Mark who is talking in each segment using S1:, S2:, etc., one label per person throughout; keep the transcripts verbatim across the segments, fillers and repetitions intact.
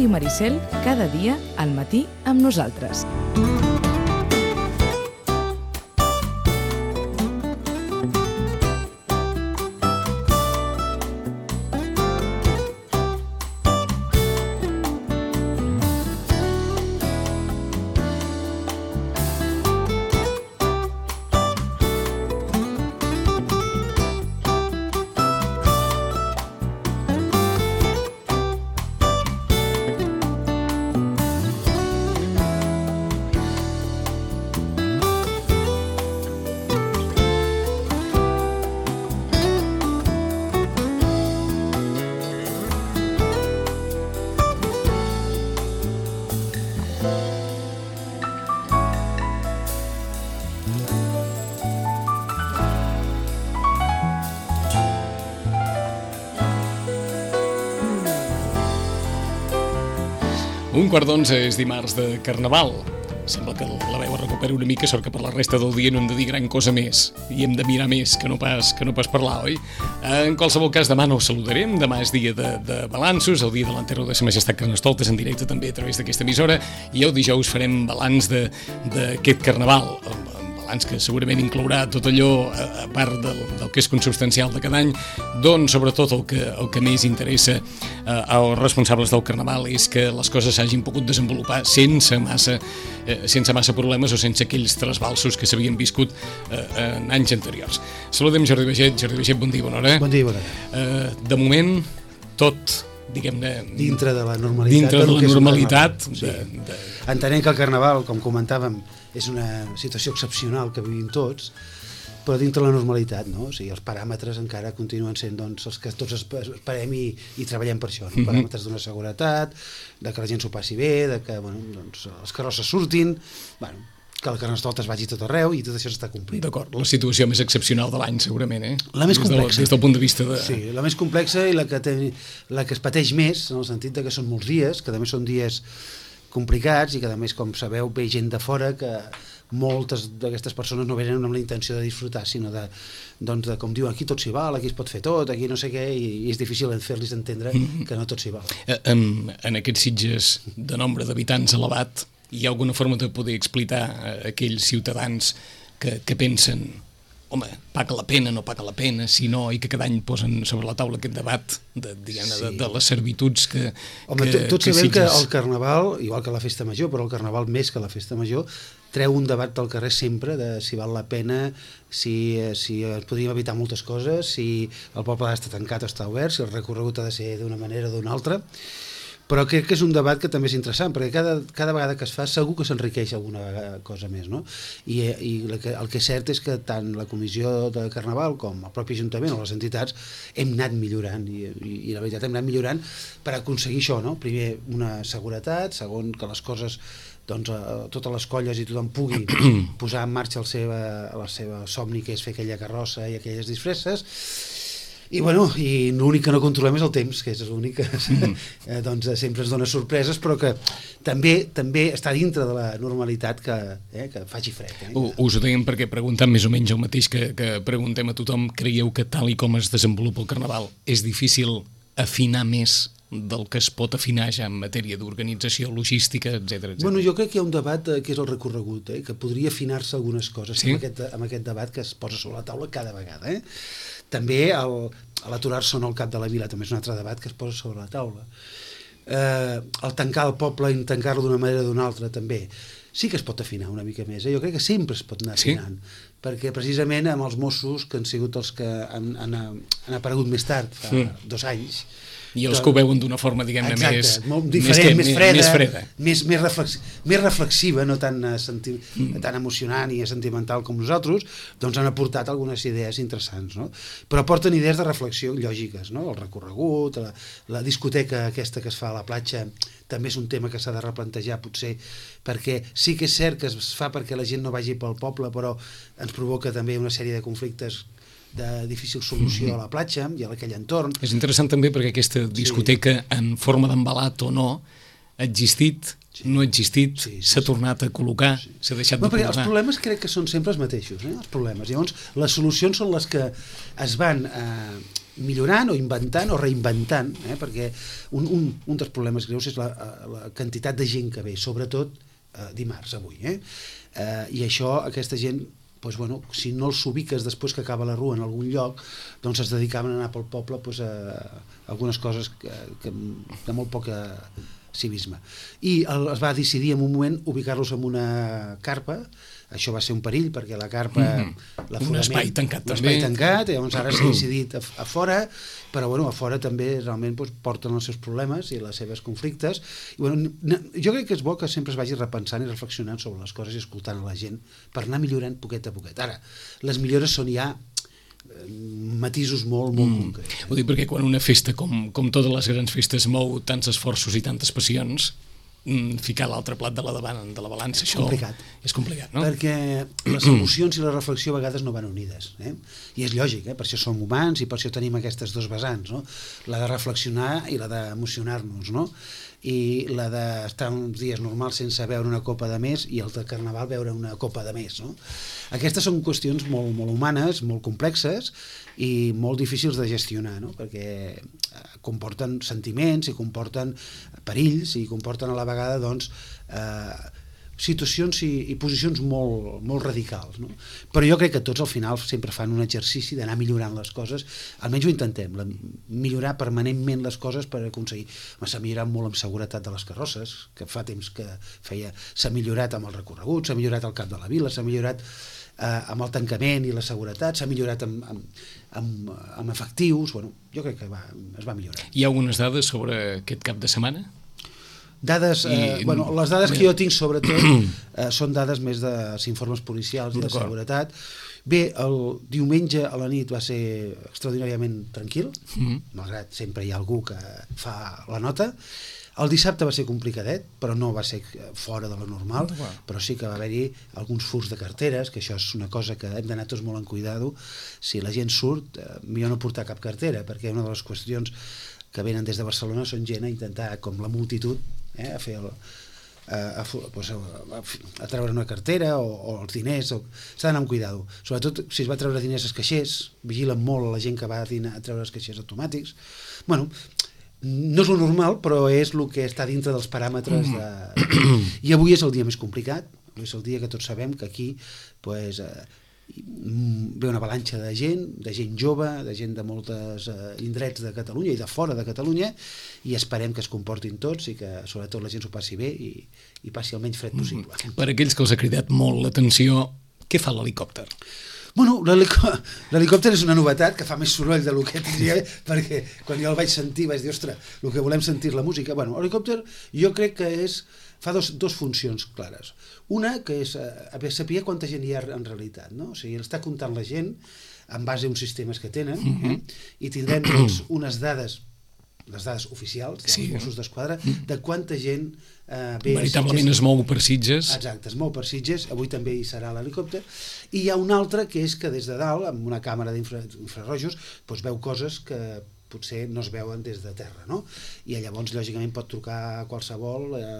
S1: Ràdio Maricel, cada dia al matí amb nosaltres.
S2: Un quart d'onze és dimarts de Carnaval. Sembla que la veu es recupera una mica, sort que per la resta del dia no hem de dir gran cosa més i hem de mirar més que no pas, que no pas parlar, oi? En qualsevol cas, demà no us saludarem. Demà és dia de, de balanços, el dia de l'enterro de Sa Majestat Carnestoltes en directe també a través d'aquesta emissora, i el dijous farem balanç d'aquest Carnaval, balanç que segurament inclourà tot allò, a part del, del que és consubstancial de cada any, doncs sobretot el que, el que més interessa eh, als responsables del Carnaval és que les coses s'hagin pogut desenvolupar sense massa, eh, sense massa problemes o sense aquells trasbalsos que s'havien viscut eh, en anys anteriors. Saludem Jordi Baget. Jordi Baget, bon dia, bona hora.
S3: Bon dia, bona hora.
S2: Eh, de moment, tot, diguem-ne...
S3: Dintre de la normalitat.
S2: Dintre de la normalitat.
S3: Sí.
S2: De, de...
S3: Entenent que el Carnaval, com comentàvem, és una situació excepcional que vivim tots, però dintre la normalitat, no? O sigui, els paràmetres encara continuen sent, doncs, els que tots esperem i, i treballem per això, no? Mm-hmm. Paràmetres d'una seguretat, de que la gent s'ho passi bé, de que, bueno, doncs, els carrosses surtin, bueno, que el Carnestoltes vagi tot arreu i tot això s'està complint.
S2: D'acord, la situació més excepcional de l'any, segurament, eh?
S3: La més complexa.
S2: Des del, des del punt de vista de...
S3: Sí, la més complexa i la que, té, la que es pateix més, en el sentit de que són molts dies, que també són dies complicats i que a més, com sabeu, ve gent de fora que moltes d'aquestes persones no venen amb la intenció de disfrutar, sinó de, doncs, de com diuen, aquí tot s'hi val, aquí es pot fer tot, aquí no sé què, i, i és difícil fer-los entendre que no tot s'hi val.
S2: En, en aquests Sitges de nombre d'habitants elevat, hi ha alguna forma de poder explicar a aquells ciutadans que, que pensen, home, paga la pena, no paga la pena, si no, i que cada any posen sobre la taula aquest debat de, diguem, sí. de, de les servituds que...
S3: Home,
S2: que,
S3: tots
S2: que
S3: sabem
S2: Sitges...
S3: que el Carnaval, igual que la Festa Major, però el Carnaval més que la Festa Major, treu un debat del carrer sempre de si val la pena, si, si podríem evitar moltes coses, si el poble ha d'estar tancat o està obert, si el recorregut ha de ser d'una manera o d'una altra. Però crec que és un debat que també és interessant, perquè cada, cada vegada que es fa segur que s'enriqueix alguna cosa més, no? I, i el, que, el que és cert és que tant la Comissió de Carnaval com el propi Ajuntament o les entitats hem anat millorant, i, i, i la veritat hem anat millorant per aconseguir això, no? Primer, una seguretat, segon, que les coses, doncs, a, totes les colles i tothom pugui posar en marxa el seva, la seva somni, que és fer aquella carrossa i aquelles disfresses. I, bueno, i l'únic que no controlem és el temps, que és l'únic que mm-hmm. eh, doncs, sempre ens dona sorpreses, però que també també està dintre de la normalitat que, eh, que faci fred. Eh?
S2: Uh, us ho dèiem perquè preguntant més o menys el mateix que, que preguntem a tothom, creieu que tal i com es desenvolupa el Carnaval és difícil afinar més del que es pot afinar ja en matèria d'organització, logística, etcètera, etcètera?
S3: Bueno, jo crec que hi ha un debat eh, que és el recorregut, eh, que podria afinar-se algunes coses,
S2: sí? amb,
S3: aquest, amb aquest debat que es posa sobre la taula cada vegada. Eh? També l'aturar-se en el cap de la vila també és un altre debat que es posa sobre la taula. Eh, el tancar el poble i tancar-lo d'una manera o d'una altra també sí que es pot afinar una mica més, eh? Jo crec que sempre es pot anar afinant, sí? Perquè precisament amb els Mossos, que han sigut els que han, han, han aparegut més tard, fa sí. dos anys,
S2: i els que ho veuen d'una forma, diguem-ne, més...
S3: molt diferent, més, més freda,
S2: més, freda.
S3: Més, més, reflex, més reflexiva, no tan, senti, mm. tan emocionant i sentimental com nosaltres, doncs han aportat algunes idees interessants, no? Però aporten idees de reflexió lògiques, no? El recorregut, la, la discoteca aquesta que es fa a la platja, també és un tema que s'ha de replantejar, potser, perquè sí que és cert que es fa perquè la gent no vagi pel poble, però ens provoca també una sèrie de conflictes de difícil solució mm-hmm. a la platja i a aquell entorn.
S2: És interessant també perquè aquesta discoteca, sí. en forma d'embalat o no, ha existit, sí. no ha existit, s'ha sí, sí, tornat a col·locar, sí. s'ha deixat
S3: bueno,
S2: de col·locar.
S3: Els problemes crec que són sempre els mateixos, eh? Els problemes. Llavors, les solucions són les que es van eh, millorant o inventant o reinventant, eh? perquè un, un, un dels problemes greus és la, la quantitat de gent que ve, sobretot eh, dimarts avui. Eh? Eh, I això, aquesta gent, doncs, bueno, si no els ubiques després que acaba la rua en algun lloc, doncs es dedicaven a anar pel poble doncs, a algunes coses que, que, de molt poca civisme. I el, es va decidir en un moment ubicar-los en una carpa. Això va ser un perill perquè la carpa...
S2: Mm. Un espai tancat
S3: un
S2: també.
S3: espai tancat, i llavors ara s'ha decidit a, a fora, però bueno, a fora també realment doncs, porten els seus problemes i les seves conflictes. I, bueno, jo crec que és bo que sempre es vagi repensant i reflexionant sobre les coses i escoltant a la gent per anar millorant poquet a poquet. Ara, les millores són ja matisos molt, molt mm. concrets. Eh?
S2: Ho dic perquè quan una festa, com, com totes les grans festes, mou tants esforços i tantes passions, ficar l'altre plat de la davant de la balança, això
S3: complicat.
S2: És complicat, no?
S3: Perquè les emocions i la reflexió a vegades no van unides, eh? I és lògic, eh? Per això som humans i per això tenim aquestes dos vessants, no? La de reflexionar i la d'emocionar-nos, no? I la d'estar uns dies normals sense beure una copa de més i el de Carnaval beure una copa de més, no? Aquestes són qüestions molt, molt humanes, molt complexes i molt difícils de gestionar, no? Perquè comporten sentiments i comporten perills i comporten a la vegada doncs, eh, situacions i, i posicions molt, molt radicals, no? Però jo crec que tots al final sempre fan un exercici d'anar millorant les coses, almenys ho intentem, la, millorar permanentment les coses per aconseguir. S'ha millorat molt amb seguretat de les carrosses, que fa temps que feia, s'ha millorat amb el recorregut, s'ha millorat al cap de la vila, s'ha millorat eh, amb el tancament i la seguretat, s'ha millorat amb, amb, amb, amb efectius, bueno, jo crec que va, es va millorar.
S2: Hi ha algunes dades sobre aquest cap de setmana?
S3: Dades, eh, I... bueno, les dades que jo tinc sobretot eh, són dades més dels informes policials i de seguretat. Bé, el diumenge a la nit va ser extraordinàriament tranquil, mm-hmm. malgrat sempre hi ha algú que fa la nota. El dissabte va ser complicadet, però no va ser fora de lo normal, wow. Però sí que va haver-hi alguns furts de carteres, que això és una cosa que hem d'anar tots molt en cuidado. Si la gent surt, eh, millor no portar cap cartera, perquè una de les qüestions que venen des de Barcelona són gent a intentar, com la multitud, eh, a fer el, a, a, a, a treure una cartera o, o els diners, o, s'ha d'anar amb cuidado, sobretot si es va treure diners als caixers, vigilen molt la gent que va a, dinar, a treure els caixers automàtics. Bueno, no és lo normal, però és el que està dintre dels paràmetres de... I avui és el dia més complicat, és el dia que tots sabem que aquí pues, eh, ve una avalanxa de gent, de gent jove, de gent de moltes eh, indrets de Catalunya i de fora de Catalunya, i esperem que es comportin tots i que sobretot la gent s'ho passi bé i, i passi el menys fred possible.
S2: Mm. Per aquells que els ha cridat molt l'atenció, què fa l'helicòpter?
S3: Bueno, l'helicòpter és una novetat que fa més soroll del que tindria, perquè quan jo el vaig sentir vaig dir, ostres, el que volem sentir la música. Bueno, l'helicòpter jo crec que és, fa dos, dos funcions clares. Una, que és eh, saber quanta gent hi ha en realitat, no? O sigui, està comptant la gent en base a uns sistemes que tenen, eh? I tindrem doncs, unes dades, les dades oficials dels sí. Mossos d'Esquadra, de quanta gent eh, ve
S2: veritablement es mou per Sitges.
S3: Exacte, es mou per Sitges, avui també hi serà l'helicòpter, i hi ha una altra que és que des de dalt, amb una càmera d'infrarrojos, doncs veu coses que potser no es veuen des de terra, no? I llavors, lògicament, pot trucar a qualsevol eh,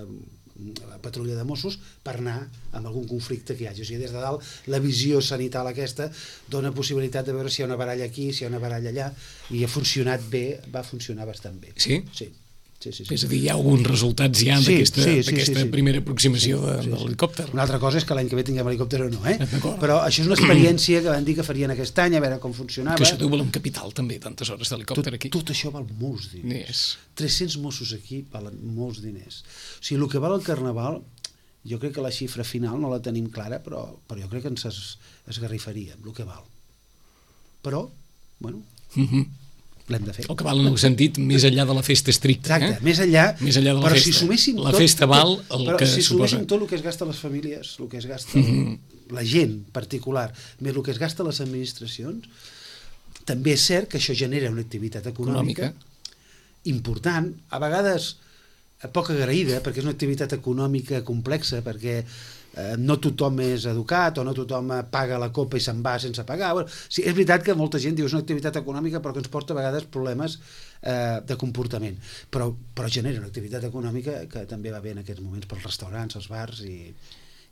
S3: la patrulla de Mossos per anar amb algun conflicte que hi hagi. O sigui, des de dalt, la visió sanital aquesta dona possibilitat de veure si hi ha una baralla aquí, si hi ha una baralla allà, i ha funcionat bé, va funcionar bastant bé.
S2: Sí?
S3: Sí. Sí, sí, sí.
S2: És a dir, hi ha alguns resultats ja
S3: sí,
S2: d'aquesta
S3: sí, sí, sí, sí.
S2: primera aproximació sí, sí, sí. de l'helicòpter.
S3: Una altra cosa és que l'any que ve tinguem helicòpter o no, eh? Però això és una experiència que van dir que farien aquest any, a veure com funcionava.
S2: Que això deu valer un capital també, tantes hores d'helicòpter aquí.
S3: Tot això val molts diners.
S2: Yes.
S3: tres-cents Mossos aquí valen molts diners. O sigui, el que val el Carnaval, jo crec que la xifra final no la tenim clara, però, però jo crec que ens es, esgarrifaríem, el que val. Però, bueno...
S2: Mhm.
S3: l'hem de fer.
S2: El que val en el sentit més enllà de la festa estricta.
S3: Exacte,
S2: eh?
S3: més enllà,
S2: més enllà de la
S3: però
S2: festa.
S3: si suméssim
S2: la
S3: tot,
S2: festa val el
S3: però
S2: que
S3: si
S2: suposa.
S3: suméssim tot el que es gasta a les famílies, el que es gasta mm-hmm. la gent particular, més el que es gasta a les administracions, també és cert que això genera una activitat econòmica, econòmica. important, a vegades poc agraïda, perquè és una activitat econòmica complexa, perquè eh, no tothom és educat o no tothom paga la copa i se'n va sense pagar. Bueno, sí, és veritat que molta gent diu és una activitat econòmica però que ens porta a vegades problemes eh, de comportament, però, però genera una activitat econòmica que també va bé en aquests moments pels restaurants, els bars i,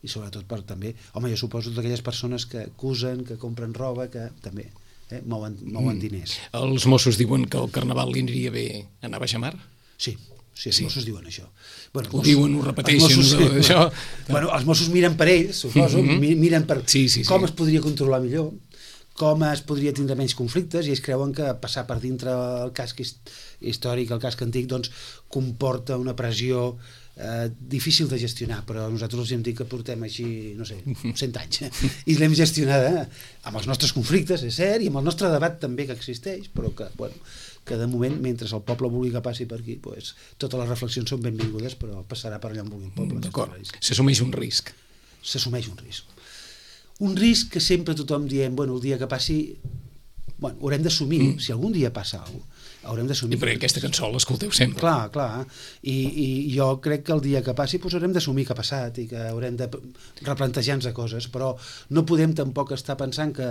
S3: i sobretot per també, home, jo suposo d'aquelles persones que acusen, que compren roba, que també eh? mouen, mouen mm. diners.
S2: Els Mossos diuen que el Carnaval li aniria bé anar a baixamar?
S3: Sí, sí, els sí. Mossos diuen això. Bueno,
S2: ho diuen, ho repeteixen.
S3: Mossos,
S2: no,
S3: sí,
S2: això...
S3: bueno, els Mossos miren per ells, suposo, mm -hmm. miren per
S2: sí, sí, sí.
S3: com es podria controlar millor, com es podria tindre menys conflictes, i ells creuen que passar per dintre el casc històric, el casc antic, doncs comporta una pressió eh, difícil de gestionar, però nosaltres els hem dit que portem així, no sé, cent anys, eh? I l'hem gestionada amb els nostres conflictes, és cert, i amb el nostre debat també que existeix, però que, bueno, que de moment, mentre el poble vulgui que passi per aquí, pues, totes les reflexions són benvingudes, però passarà per allà on vulgui el poble.
S2: D'acord, s'assumeix un risc.
S3: S'assumeix un risc. Un risc que sempre tothom diem, bueno, el dia que passi, bueno, haurem d'assumir, mm. si algun dia passa alguna cosa, haurem d'assumir.
S2: I perquè aquesta cançó l'escolteu sempre.
S3: Clar, clar, I, i jo crec que el dia que passi pues, haurem d'assumir que ha passat i que haurem de replantejar-nos coses, però no podem tampoc estar pensant que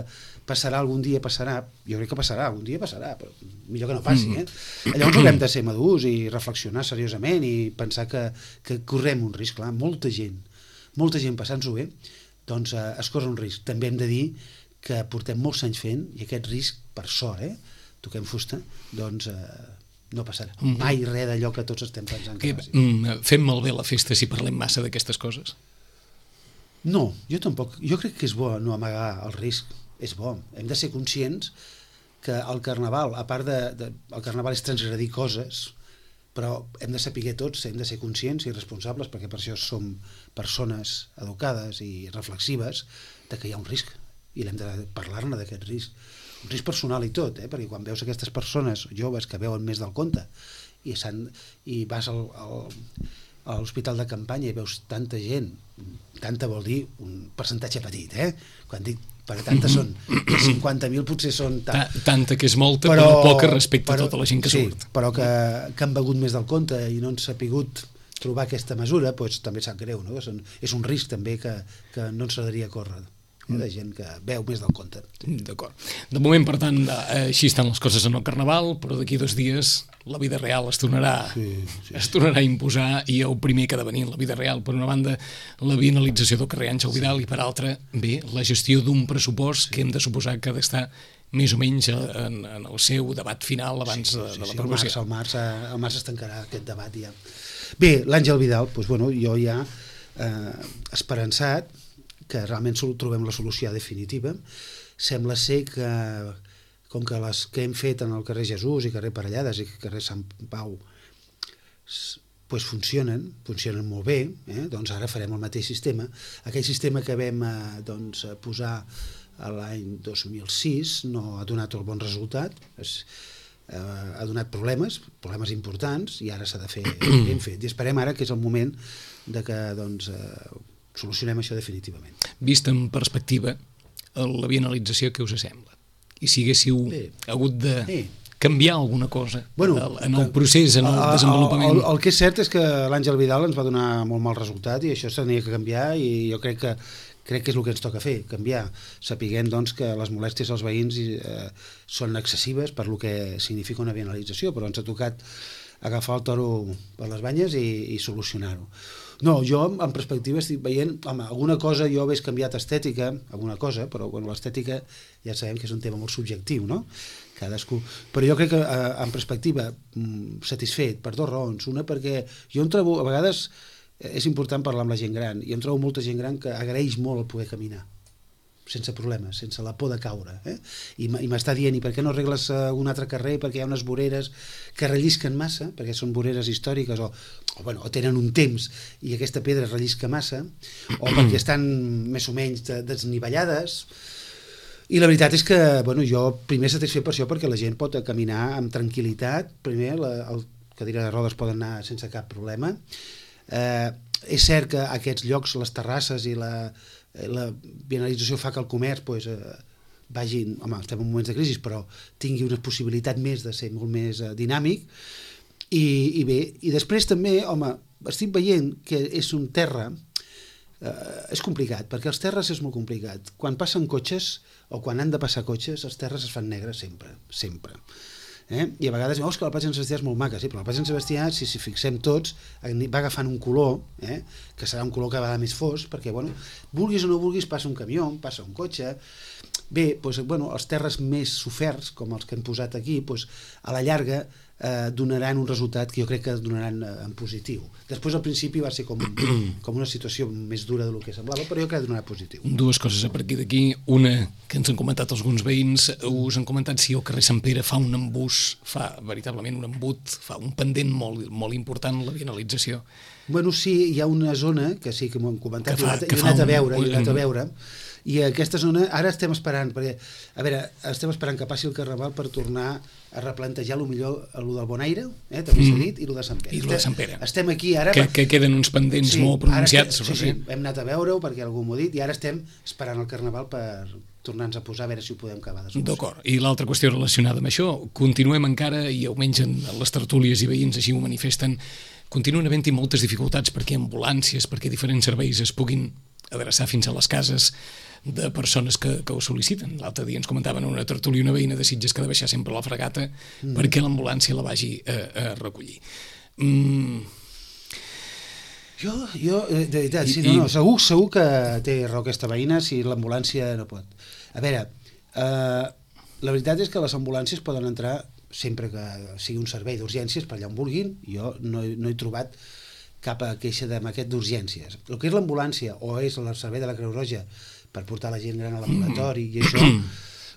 S3: passarà algun dia, passarà, jo crec que passarà, algun dia passarà, però millor que no passi, eh? Llavors haurem de ser madurs i reflexionar seriosament i pensar que, que correm un risc, clar, molta gent, molta gent passant-s'ho bé, doncs eh, es corre un risc. També hem de dir que portem molts anys fent, i aquest risc, per sort, eh, toquem fusta, doncs eh, no passarà mai res d'allò que tots estem pensant que, que passi.
S2: Mm, fem malbé la festa si parlem massa d'aquestes coses?
S3: No, jo tampoc. Jo crec que és bo no amagar el risc. És bo. Hem de ser conscients que el Carnaval, a part de... de el Carnaval és transgredir coses, però hem de saber tots, hem de ser conscients i responsables, perquè per això som persones educades i reflexives, de que hi ha un risc, i l'hem de parlar-ne d'aquest risc. Un risc personal i tot, eh? Perquè quan veus aquestes persones joves que veuen més del compte i, i vas al, al, a l'hospital de campanya i veus tanta gent, tanta vol dir un percentatge petit, eh? Quan dic perquè tanta són, cinquanta mil potser són tant.
S2: Tanta que és molta, però, però poca respecte però, a tota la gent que
S3: sí,
S2: surt.
S3: Però que, que han begut més del compte i no han sapigut trobar aquesta mesura, doncs també sap greu, no? És un risc també que, que no ens agradaria córrer, eh? De gent que veu més del compte.
S2: D'acord. De moment, per tant, així estan les coses en el Carnaval, però d'aquí dos dies la vida real es tornarà, sí, sí. es tornarà a imposar, i el primer que ha de venir en la vida real, per una banda, la bienalització del carrer Àngel Vidal, sí. I per altra, bé, la gestió d'un pressupost, sí. Que hem de suposar que ha d'estar més o menys en, en el seu debat final abans sí, sí, de, de l'aprovació.
S3: Sí, al març, al març es tancarà aquest debat ja. Bé, l'Àngel Vidal, doncs, bueno, jo ja eh, esperançat que realment trobem la solució definitiva. Sembla ser que, com que les que hem fet en el carrer Jesús i carrer Parellades i carrer Sant Pau pues funcionen, funcionen molt bé, eh? Doncs ara farem el mateix sistema. Aquell sistema que vam eh, doncs, posar l'any dos mil sis no ha donat el bon resultat, es, eh, ha donat problemes, problemes importants, i ara s'ha de fer ben fet. I esperem ara que és el moment de que doncs, eh, solucionem això definitivament.
S2: Vist en perspectiva, la bienalització, què us sembla? I si haguéssiu sí. hagut de sí. canviar alguna cosa bueno, en el procés, en el, el desenvolupament?
S3: El, el, el que és cert és que l'Àngel Vidal ens va donar molt mal resultat i això s'havia que canviar, i jo crec que crec que és el que ens toca fer, canviar. Sapiguem doncs, que les molèsties als veïns eh, són excessives per el que significa una bienalització, però ens ha tocat agafar el toro per les banyes i, i solucionar-ho. No, jo en perspectiva estic veient, home, alguna cosa jo hagués canviat estètica, alguna cosa, però bueno, l'estètica ja sabem que és un tema molt subjectiu, no? Cadascú. Però jo crec que eh, en perspectiva satisfet per dues raons. Una, perquè jo em trobo, a vegades és important parlar amb la gent gran, i em trobo molta gent gran que agraeix molt el poder caminar sense problemes, sense la por de caure, eh? I m'està dient, i per què no arregles un altre carrer, perquè hi ha unes voreres que rellisquen massa, perquè són voreres històriques o, o, bueno, o tenen un temps i aquesta pedra rellisca massa, o perquè estan més o menys desnivellades. I la veritat és que bueno, jo primer satisfet per això, perquè la gent pot caminar amb tranquil·litat, primer la, el cadira de rodes poden anar sense cap problema. Eh, és cert que aquests llocs, les terrasses i la la bienalització fa que el comerç pues, eh, vagi, home, estem en moments de crisi, però tingui una possibilitat més de ser molt més eh, dinàmic, i, i bé, i després també, home, estic veient que és un terra, eh, és complicat, perquè els terres és molt complicat. Quan passen cotxes, o quan han de passar cotxes, els terres es fan negres sempre, sempre. Eh? I a vegades veus que la platja de Sant Sebastià és molt maca, sí, però la platja de Sant Sebastià, si s'hi fixem tots, va agafant un color, eh? Que serà un color cada vegada més fosc, perquè, bueno, vulguis o no vulguis, passa un camió, passa un cotxe, Bé, doncs, bueno, els terres més soferts, com els que hem posat aquí, doncs, a la llarga eh, donaran un resultat que jo crec que donaran eh, en positiu. Després al principi va ser com, com una situació més dura del que semblava, però jo crec que donarà positiu.
S2: Dues coses a partir d'aquí. Una, que ens han comentat alguns veïns, us han comentat si el carrer Sant Pere fa un embús, fa veritablement un embut, fa un pendent molt, molt important, la vianalització.
S3: Bueno, sí, hi ha una zona que sí que m'ho han comentat,
S2: que fa,
S3: i
S2: que
S3: he anat a
S2: un,
S3: veure,
S2: un,
S3: he anat a veure, i aquesta zona ara estem esperant, perquè, a veure, estem esperant que passi el Carnaval per tornar a replantejar lo millor lo del Bonaire, eh, també s'ha dit, i lo de Sant Pere.
S2: I lo de Sant Pere.
S3: Estem aquí ara...
S2: Que,
S3: per...
S2: que queden uns pendents
S3: sí,
S2: molt pronunciats.
S3: Ara, sí, sí, hem anat a veure-ho perquè algú m'ho ha dit, i ara estem esperant el Carnaval per tornar-nos a posar a veure si ho podem acabar de solucionar.
S2: D'acord. I l'altra qüestió relacionada amb això, continuem encara, i almenys en les tertúlies i veïns així ho manifesten, continuen havent-hi moltes dificultats perquè ambulàncies, perquè diferents serveis es puguin adreçar fins a les cases de persones que, que ho sol·liciten. L'altre dia ens comentaven una tertúlia una veïna de Sitges que ha de baixar sempre la fregata mm. perquè l'ambulància la vagi a, a recollir. Mm.
S3: Jo, jo, de veritat, sí, no, no, segur, segur que té raó aquesta veïna si l'ambulància no pot. A veure, eh, la veritat és que les ambulàncies poden entrar sempre que sigui un servei d'urgències per allà on vulguin. Jo no, no he trobat cap queixa d'aquest d'urgències. El que és l'ambulància o és el servei de la Creu Roja per portar la gent gran a l'ambulatori i això,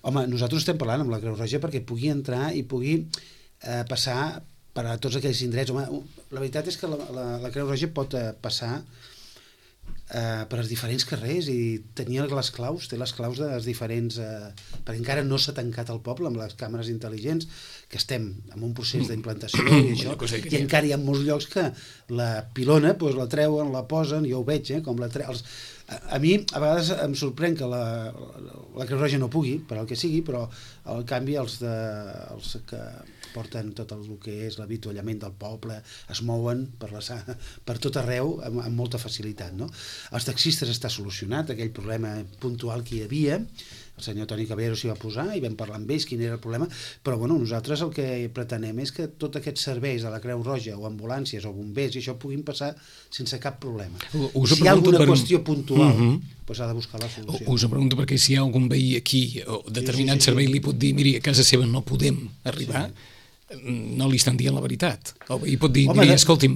S3: home, nosaltres estem parlant amb la Creu Roja perquè pugui entrar i pugui eh, passar per a tots aquells indrets. Home, la veritat és que la, la, la Creu Roja pot eh, passar eh, per als diferents carrers i tenia les claus, té les claus de les diferents... Eh, perquè encara no s'ha tancat el poble amb les càmeres intel·ligents, que estem en un procés d'implantació i això, i encara hi ha molts llocs que la pilona doncs, la treuen, la posen, jo ho veig, eh, com la treuen... A, a mi a vegades em sorprèn que la, la Creu Roja no pugui, per al que sigui, però al canvi els, de, els que porten tot el que és l'avituallament del poble es mouen per, la, per tot arreu amb, amb molta facilitat, no? Els taxistes està solucionat aquell problema puntual que hi havia, el senyor Toni Caballero s'hi va posar i vam parlar amb ells quin era el problema, però bueno, nosaltres el que pretenem és que tots aquests serveis de la Creu Roja o ambulàncies o bombers i això puguin passar sense cap problema.
S2: Us
S3: si hi ha alguna
S2: per...
S3: qüestió puntual, uh -huh. doncs ha de buscar la solució.
S2: Us ho pregunto perquè si hi ha algun veí aquí o determinat sí, sí, sí, servei li pot dir, miri, a casa seva no podem arribar, sí. No li estan dient la veritat. El veí pot dir, miri, escolti'm,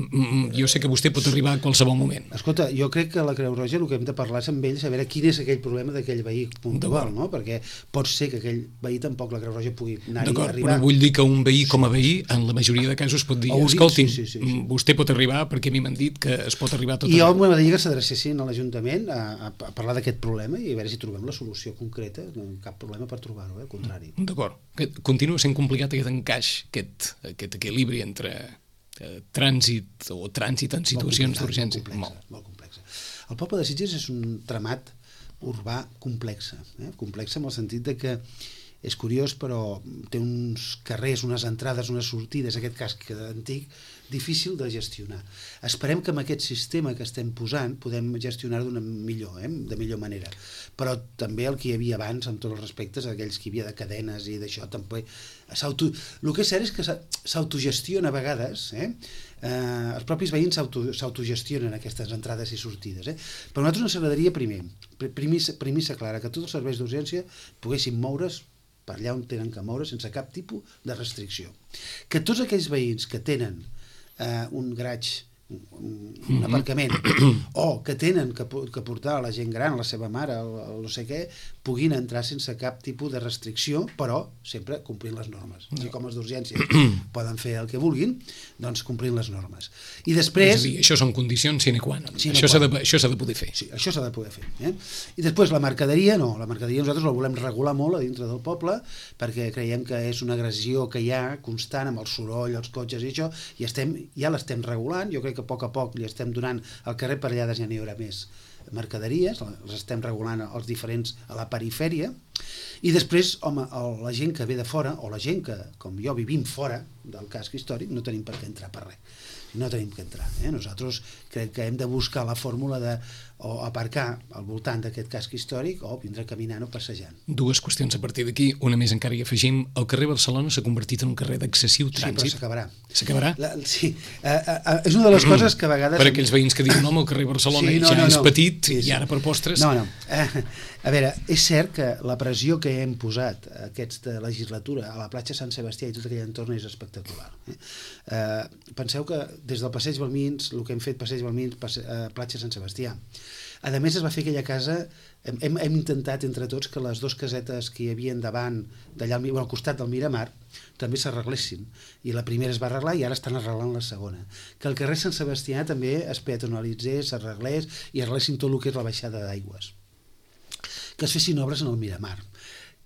S2: jo sé que vostè pot arribar a qualsevol moment.
S3: Escolta, jo crec que la Creu Roja el que hem de parlar és amb ells, a veure quin és aquell problema d'aquell veí puntual, no? Perquè pot ser que aquell veí tampoc la Creu Roja pugui anar-hi a arribar.
S2: Però vull dir que un veí com a veí, en la majoria de casos pot dir, escolti'm, sí, sí, sí, sí. vostè pot arribar perquè a mi m'han dit que es pot arribar a tot.
S3: I jo m'agradaria que s'adrecessin a l'Ajuntament a, a, a parlar d'aquest problema i a veure si trobem la solució concreta, no cap problema per trobar-ho, eh? Al contrari.
S2: D'acord. Continua sent complicat aquest encaix, aquest, aquest equilibri entre eh, trànsit o trànsit en situacions d'urgència.
S3: Molt, molt, molt complexa. El poble de Sitges és un tramat urbà complex, eh? complex en el sentit de que és curiós, però té uns carrers, unes entrades, unes sortides, aquest casc antic, difícil de gestionar. Esperem que amb aquest sistema que estem posant podem gestionar-ho d'una millor, eh? de millor manera. Però també el que hi havia abans, amb tots els respectes, aquells que hi havia de cadenes i d'això, també... Auto... El que és cert és que s'autogestiona a vegades, eh? Eh, els propis veïns s'autogestionen aquestes entrades i sortides. Eh? Però a nosaltres ens agradaria primer, premissa, premissa clara, que tots els serveis d'urgència poguessin moure's per allà on tenen que moure sense cap tipus de restricció. Que tots aquells veïns que tenen eh, un garatge, un, un aparcament, o que tenen que, que portar a la gent gran, a la seva mare, o, o no sé què, puguin entrar sense cap tipus de restricció, però sempre complint les normes. I com els d'urgència poden fer el que vulguin, doncs complint les normes. I després...
S2: És a dir, això són condicions sine qua non. Això s'ha de, això s'ha de poder fer.
S3: Sí, això s'ha de poder fer. Eh? I després la mercaderia, no. La mercaderia nosaltres la volem regular molt a dintre del poble, perquè creiem que és una agressió que hi ha constant amb el soroll, els cotxes i això, i estem, ja l'estem regulant. Jo crec que a poc a poc li estem donant al carrer per allà ja n'hi haurà més mercaderies, les estem regulant als diferents a la perifèria, i després, home, la gent que ve de fora, o la gent que, com jo, vivim fora del casc històric, no tenim per què entrar per res. no tenim que entrar. Eh? Nosaltres crec que hem de buscar la fórmula de o aparcar al voltant d'aquest casc històric o vindre caminant o passejant.
S2: Dues qüestions a partir d'aquí. Una més encara hi afegim. El carrer Barcelona s'ha convertit en un carrer d'excessiu trànsit.
S3: Sí, però s'acabarà.
S2: S'acabarà?
S3: La, sí. Uh, uh, uh, és una de les coses que a vegades...
S2: Per aquells veïns que diuen, no, el carrer Barcelona sí, no, ja no, és no. petit sí, sí. i ara per postres...
S3: No, no. Uh, a veure, és cert que la pressió que hem posat aquesta legislatura a la platja Sant Sebastià i tot aquell entorn és espectacular. Eh? Uh, penseu que des del Passeig Balmins, el que hem fet Passeig Balmins, passe, uh, platja Sant Sebastià, a més es va fer aquella casa, hem, hem intentat entre tots que les dues casetes que hi havia davant, d'allà al, bueno, al costat del Miramar, també s'arreglessin, i la primera es va arreglar i ara estan arreglant la segona. Que el carrer Sant Sebastià també es peatonalitzés, s'arreglés i arreglessin tot el que és la baixada d'aigües. Que es fessin obres en el Miramar,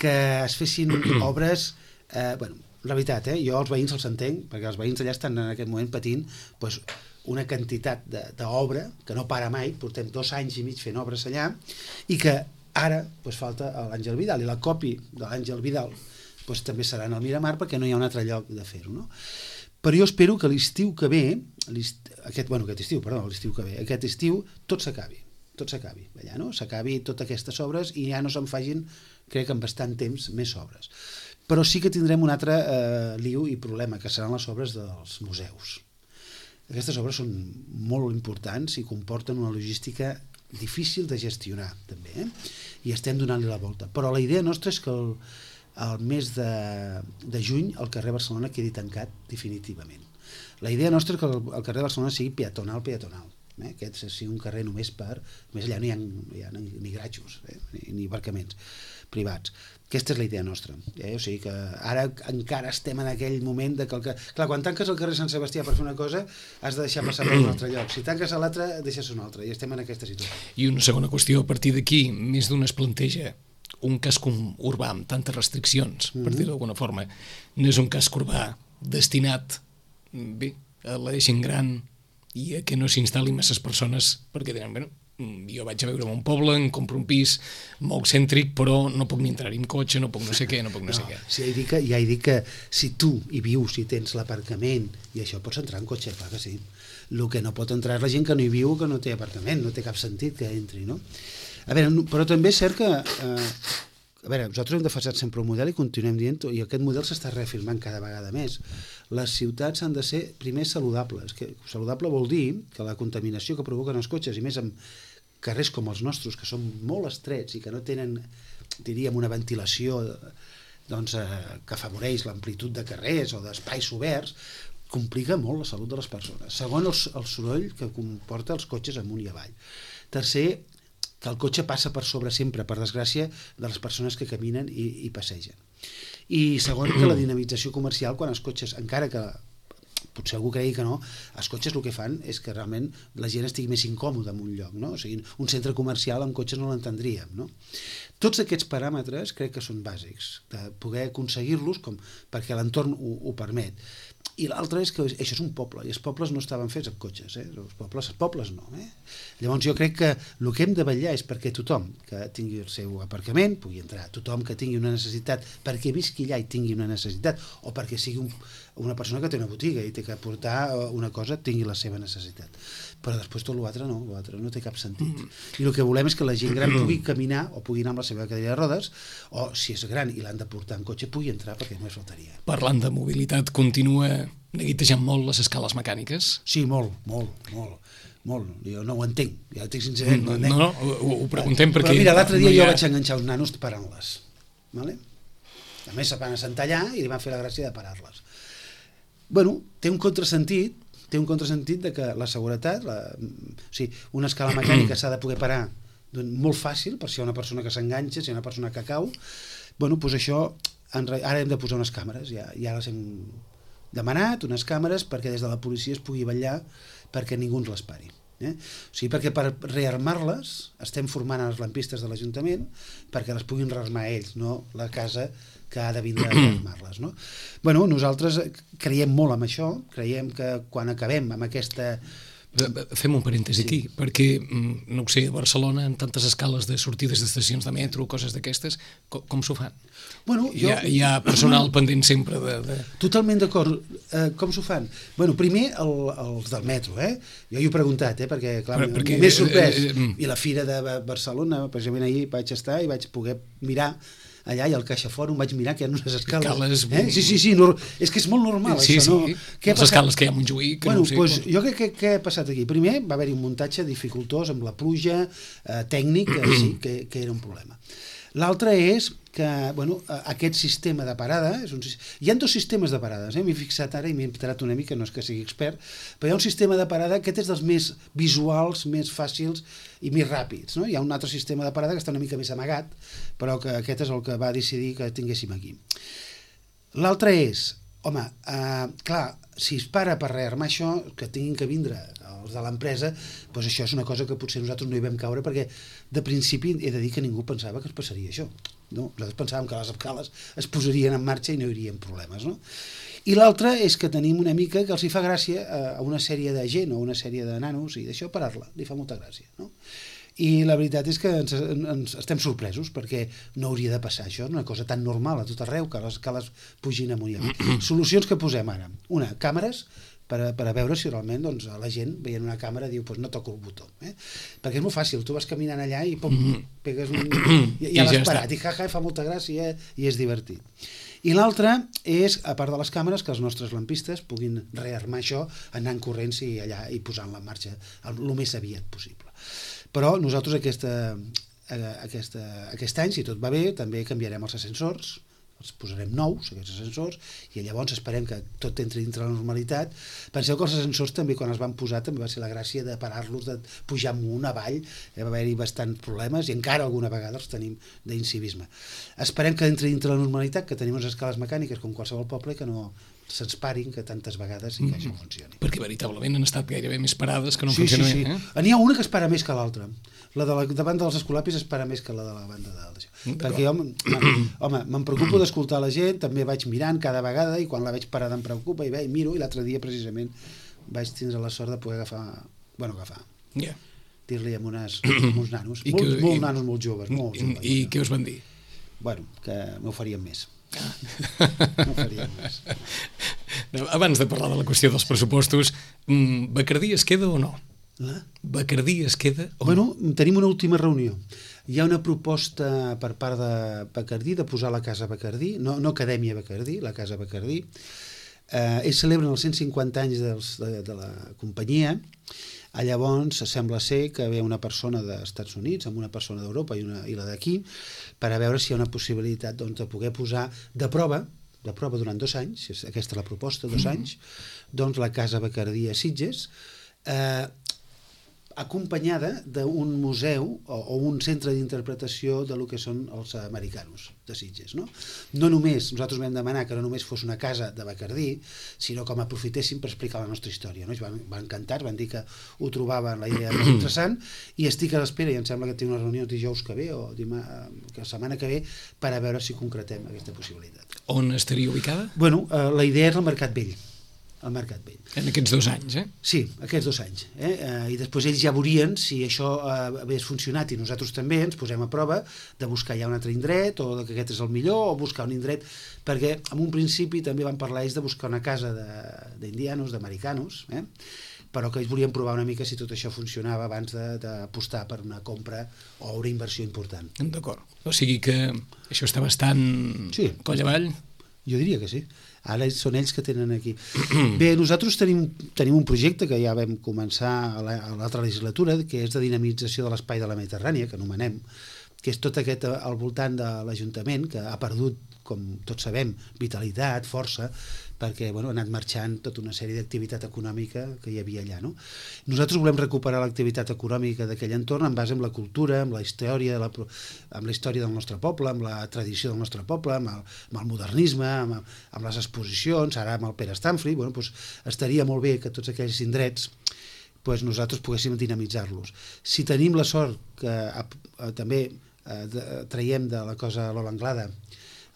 S3: que es fessin obres, eh, bueno, la veritat, eh, jo els veïns els entenc, perquè els veïns allà estan en aquest moment patint pues, una quantitat d'obra que no para mai, portem dos anys i mig fent obres allà, i que ara pues, falta l'Àngel Vidal, i la copi de l'Àngel Vidal pues, també serà en el Miramar perquè no hi ha un altre lloc de fer-ho. No? Però jo espero que l'estiu que ve, aquest, bueno, aquest estiu, perdó, l'estiu que ve, aquest estiu tot s'acabi, tot s'acabi, allà, no? S'acabi totes aquestes obres i ja no se'n facin, crec, en bastant temps, més obres. Però sí que tindrem un altre eh, liu i problema, que seran les obres dels museus. Aquestes obres són molt importants i comporten una logística difícil de gestionar, també, eh? I estem donant-li la volta. Però la idea nostra és que el, el mes de, de juny el carrer Barcelona quedi tancat definitivament. La idea nostra és que el, el carrer Barcelona sigui peatonal, peatonal. Eh? Aquest sigui un carrer només per... Més allà no hi ha, hi ha ni gratxos, eh? ni, ni aparcaments privats. Aquesta és la idea nostra. Eh? O sigui que ara encara estem en aquell moment de que... El que... Clar, quan tanques el carrer Sant Sebastià per fer una cosa, has de deixar passar per un altre lloc. Si tanques a l'altre, deixes un altre. I estem en aquesta situació.
S2: I una segona qüestió, a partir d'aquí, més d'un es planteja un casc urbà amb tantes restriccions, per dir-ho d'alguna forma. No és un casc urbà destinat bé, a la gent gran i a que no s'instal·lin masses persones perquè diran, bueno, jo vaig a veure un poble, em compro un pis molt cèntric, però no puc ni entrar-hi amb cotxe, no puc no sé què, no puc no, no sé què.
S3: Sí, ja, he dit que, ja he dit que si tu hi vius, si tens l'aparcament i això, pots entrar en cotxe, clar que sí. El que no pot entrar és la gent que no hi viu, que no té aparcament, no té cap sentit que entri, no? A veure, però també és cert que... Eh, a veure, nosaltres hem defensat sempre un model i continuem dient, i aquest model s'està reafirmant cada vegada més. Les ciutats han de ser, primer, saludables. Que, saludable vol dir que la contaminació que provoquen els cotxes, i més amb carrers com els nostres, que són molt estrets i que no tenen, diríem, una ventilació doncs, eh, que afavoreix l'amplitud de carrers o d'espais oberts, complica molt la salut de les persones. Segon, el, el soroll que comporta els cotxes amunt i avall. Tercer, que el cotxe passa per sobre sempre, per desgràcia, de les persones que caminen i, i passegen. I segon, que la dinamització comercial, quan els cotxes, encara que potser algú cregui que no, els cotxes el que fan és que realment la gent estigui més incòmoda en un lloc, no? O sigui, un centre comercial amb cotxes no l'entendríem, no? Tots aquests paràmetres crec que són bàsics, de poder aconseguir-los com perquè l'entorn ho, ho permet. I l'altre és que això és un poble, i els pobles no estaven fets amb cotxes, eh? els, pobles, els pobles no. Eh? Llavors jo crec que el que hem de vetllar és perquè tothom que tingui el seu aparcament pugui entrar, tothom que tingui una necessitat, perquè visqui allà i tingui una necessitat, o perquè sigui un, una persona que té una botiga i té que portar una cosa, tingui la seva necessitat. Però després tot l'altre no, l'altre no té cap sentit. I el que volem és que la gent gran pugui caminar o pugui anar amb la seva cadira de rodes, o si és gran i l'han de portar en cotxe, pugui entrar perquè només faltaria.
S2: Parlant de mobilitat, continua neguitejant molt les escales mecàniques?
S3: Sí, molt, molt, molt. Molt. Jo no ho entenc, ja ho dic sincerament.
S2: No, no, no, ho, ho preguntem perquè...
S3: Però mira, l'altre dia
S2: no
S3: jo
S2: ha...
S3: vaig enganxar uns nanos parant-les. Vale? A més, se van assentar allà i li van fer la gràcia de parar-les. Bueno, té un contrasentit, té un contrasentit de que la seguretat, la, o sigui, una escala mecànica s'ha de poder parar molt fàcil, per si hi ha una persona que s'enganxa, si hi ha una persona que cau, bueno, doncs això, ara hem de posar unes càmeres, ja, ja les hem demanat, unes càmeres, perquè des de la policia es pugui vetllar perquè ningú ens les pari. Eh? O sigui, perquè per rearmar-les estem formant els lampistes de l'Ajuntament perquè les puguin rearmar ells, no la casa que ha de vindre a rearmar-les. No? Bueno, nosaltres creiem molt en això, creiem que quan acabem amb aquesta
S2: Fem un parèntesi sí. aquí, perquè, no ho sé, a Barcelona, en tantes escales de sortides d'estacions de metro, coses d'aquestes, com, com s'ho fan?
S3: Bueno, jo...
S2: hi, ha, hi ha personal no, pendent sempre de... de...
S3: Totalment d'acord. Eh, com s'ho fan? Bueno, primer el, els del metro, eh? Jo hi he preguntat, eh? Perquè, clar, per, perquè, m'he sorprès. Eh, eh, I la Fira de Barcelona, precisament ahir vaig estar i vaig poder mirar allà, i al Caixa Fòrum vaig mirar que hi ha unes escales. escales eh? Sí, sí, sí, no, és que és molt normal, sí, això,
S2: sí.
S3: no?
S2: Què les escales que hi ha a Montjuïc,
S3: bueno,
S2: no sé.
S3: Pues, jo crec que què ha passat aquí? Primer, va haver-hi un muntatge dificultós amb la pluja, eh, tècnic, que sí, que, que era un problema. L'altre és que, bueno, aquest sistema de parada, és un, hi ha dos sistemes de parades, eh? M'he fixat ara i m'he entrat una mica, no és que sigui expert, però hi ha un sistema de parada, aquest és dels més visuals, més fàcils i més ràpids, no? Hi ha un altre sistema de parada que està una mica més amagat, però que aquest és el que va decidir que tinguéssim aquí. L'altre és, home, eh, clar, si es para per rearmar això, que tinguin que vindre els de l'empresa, doncs això és una cosa que potser nosaltres no hi vam caure, perquè de principi he de dir que ningú pensava que es passaria això. No? Nosaltres pensàvem que les escales es posarien en marxa i no hi haurien problemes. No? I l'altre és que tenim una mica que els hi fa gràcia a una sèrie de gent o una sèrie de nanos i d'això parar-la, li fa molta gràcia. No? I la veritat és que ens, ens estem sorpresos perquè no hauria de passar això, una cosa tan normal a tot arreu, que les escales pugin amunt i amunt. Solucions que posem ara. Una, càmeres, per a, per a veure si realment doncs, la gent veient una càmera diu pues no toco el botó. Eh? Perquè és molt fàcil, tu vas caminant allà i pum, pegues un... I, ja l'has parat, i jaja, fa molta gràcia i és divertit. I l'altre és, a part de les càmeres, que els nostres lampistes puguin rearmar això anant corrents i allà i posant-la en marxa el, el més aviat possible. Però nosaltres aquesta, aquesta, aquest any, si tot va bé, també canviarem els ascensors, els posarem nous, aquests ascensors, i llavors esperem que tot entri dintre la normalitat. Penseu que els ascensors també, quan es van posar, també va ser la gràcia de parar-los, de pujar amunt, avall, va haver-hi bastants problemes, i encara alguna vegada els tenim d'incivisme. Esperem que entri dintre la normalitat, que tenim unes escales mecàniques com qualsevol poble, que no se'ns parin, que tantes vegades i que això funcioni.
S2: Perquè veritablement han estat gairebé més parades que no
S3: sí,
S2: funcionen.
S3: Sí, sí. Eh? N'hi ha una que es para més que l'altra. La de la davant dels escolapis es para més que la de la banda de dalt. Perquè jo, home, me'n preocupo d'escoltar la gent, també vaig mirant cada vegada i quan la veig parada em preocupa i ve, i miro, i l'altre dia precisament vaig tindre la sort de poder agafar, bueno, agafar, yeah. dir-li amb, unes, amb uns nanos, I molt, que, molt i, nanos molt joves. Molt
S2: i,
S3: joves,
S2: I què us van dir?
S3: Bueno, que m'ho farien més.
S2: Ah. No farien més. Abans de parlar de la qüestió dels pressupostos, Bacardí es queda o no?
S3: La?
S2: Bacardí es queda o
S3: bueno,
S2: no?
S3: Tenim una última reunió. Hi ha una proposta per part de Bacardí de posar la Casa Bacardí, no, no Acadèmia Bacardí, la Casa Bacardí. Eh, ells celebren els cent cinquanta anys dels, de, de la companyia. Llavors sembla ser que ve una persona dels Estats Units amb una persona d'Europa i, una, i la d'aquí per a veure si hi ha una possibilitat doncs, de poder posar de prova de prova durant dos anys, aquesta és la proposta, dos anys, doncs la Casa Bacardí a Sitges, eh, acompanyada d'un museu o, o un centre d'interpretació de lo que són els americanos de Sitges. No? No només, nosaltres vam demanar que no només fos una casa de Bacardí, sinó com aprofitéssim per explicar la nostra història. No? Ells van, van encantar, van dir que ho trobaven la idea molt interessant i estic a l'espera, i em sembla que tinc una reunió dijous que ve o dimà, que la setmana que ve per a veure si concretem aquesta possibilitat.
S2: On estaria ubicada?
S3: Bueno, eh, la idea és el Mercat Vell. al Mercat Vell.
S2: En aquests dos anys, eh?
S3: Sí, aquests dos anys. Eh? Eh, I després ells ja veurien si això eh, hagués funcionat i nosaltres també ens posem a prova de buscar ja un altre indret o que aquest és el millor o buscar un indret, perquè en un principi també van parlar ells de buscar una casa d'indianos, d'americanos, eh? però que ells volien provar una mica si tot això funcionava abans d'apostar per una compra o una inversió important.
S2: D'acord. O sigui que això està bastant
S3: sí, coll avall? Jo diria que sí. Ara són ells que tenen aquí. Bé, nosaltres tenim, tenim un projecte que ja vam començar a l'altra legislatura, que és de dinamització de l'espai de la Mediterrània, que anomenem, que és tot aquest al voltant de l'Ajuntament, que ha perdut, com tots sabem, vitalitat, força, perquè bueno, ha anat marxant tota una sèrie d'activitat econòmica que hi havia allà. No? Nosaltres volem recuperar l'activitat econòmica d'aquell entorn en base amb la cultura, amb la història, la, amb la història del nostre poble, amb la tradició del nostre poble, amb el, amb el modernisme, amb, amb les exposicions, ara amb el Pere Stanfri, bueno, doncs estaria molt bé que tots aquells indrets doncs nosaltres poguéssim dinamitzar-los. Si tenim la sort que eh, també eh, de, traiem de la cosa Lola Anglada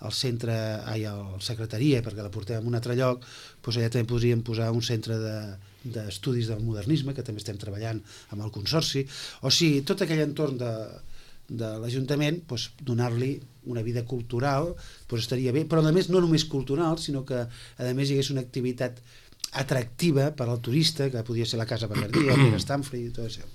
S3: al centre, ai, a la secretaria, perquè la portem a un altre lloc, doncs allà també podríem posar un centre de, d'estudis del modernisme, que també estem treballant amb el Consorci. O sigui, tot aquell entorn de, de l'Ajuntament, doncs, donar-li una vida cultural doncs estaria bé, però a més no només cultural, sinó que a més hi hagués una activitat atractiva per al turista, que podria ser la Casa Bernardí, el Pere Stamford i tot això.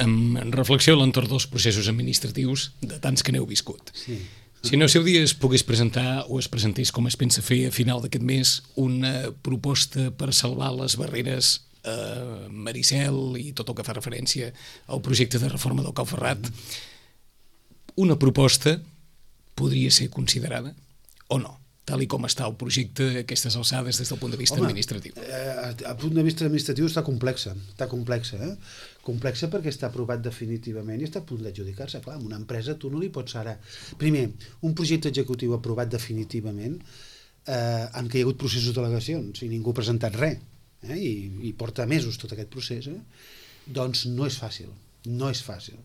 S2: En reflexió a l'entorn dels processos administratius de tants que n'heu viscut.
S3: Sí.
S2: Si no seu dia es pogués presentar o es presentés com es pensa fer a final d'aquest mes una proposta per salvar les barreres a Maricel i tot el que fa referència al projecte de reforma del Cau Ferrat, una proposta podria ser considerada o no? Tal i com està el projecte a aquestes alçades des del punt de vista
S3: Home,
S2: administratiu.
S3: Eh, a punt de vista administratiu està complexa, està complexa, eh? complexa perquè està aprovat definitivament i està a punt d'adjudicar-se. Clar, amb una empresa tu no li pots ara... Primer, un projecte executiu aprovat definitivament eh, en què hi ha hagut processos d'al·legacions i ningú ha presentat res, eh? I, i porta mesos tot aquest procés, eh? Doncs no és fàcil, no és fàcil.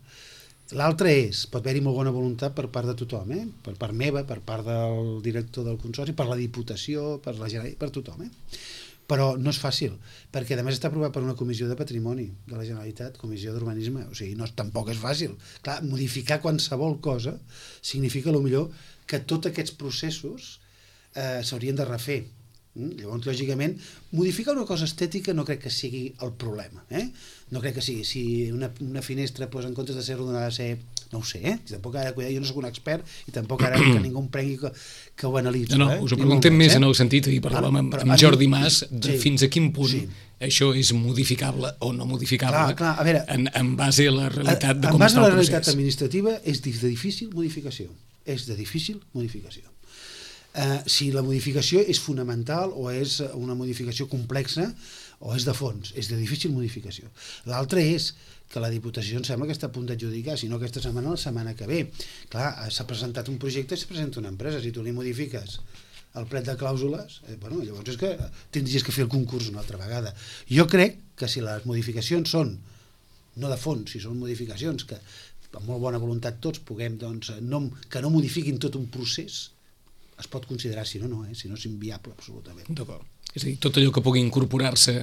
S3: L'altre és, pot haver-hi molt bona voluntat per part de tothom, eh? Per part meva, per part del director del Consorci, per la Diputació, per la Generalitat, per tothom, eh? Però no és fàcil, perquè a més està aprovat per una comissió de patrimoni de la Generalitat, comissió d'urbanisme, o sigui, no, tampoc és fàcil. Clar, modificar qualsevol cosa significa potser que tots aquests processos eh, s'haurien de refer. Mm? Llavors, lògicament, modificar una cosa estètica no crec que sigui el problema, eh? No crec que sigui, si una, una finestra pues, en comptes de ser rodona ha de ser, no ho sé, eh? Tampoc ara, jo no soc un expert i tampoc ara que ningú em prengui que, que ho analitzi.
S2: No, no,
S3: eh?
S2: us ho preguntem més eh? en el sentit, i parlàvem amb, amb Jordi Mas, de
S3: sí,
S2: fins a quin punt
S3: sí.
S2: això és modificable o no modificable
S3: clar, clar, a veure,
S2: en, en base a la realitat de
S3: en
S2: com
S3: base
S2: està
S3: a la
S2: el
S3: realitat
S2: procés.
S3: administrativa és de difícil modificació, és de difícil modificació. Uh, si la modificació és fonamental o és una modificació complexa o és de fons, és de difícil modificació. L'altre és que la Diputació em sembla que està a punt d'adjudicar, si no aquesta setmana, la setmana que ve. Clar, s'ha presentat un projecte i s'ha presentat una empresa, si tu li modifiques el plec de clàusules, eh, bueno, llavors és que tindries que fer el concurs una altra vegada. Jo crec que si les modificacions són, no de fons, si són modificacions que amb molt bona voluntat tots puguem, doncs, no, que no modifiquin tot un procés, es pot considerar, si no, no, eh? Si no és inviable, absolutament.
S2: D'acord. És a dir, tot allò que pugui incorporar-se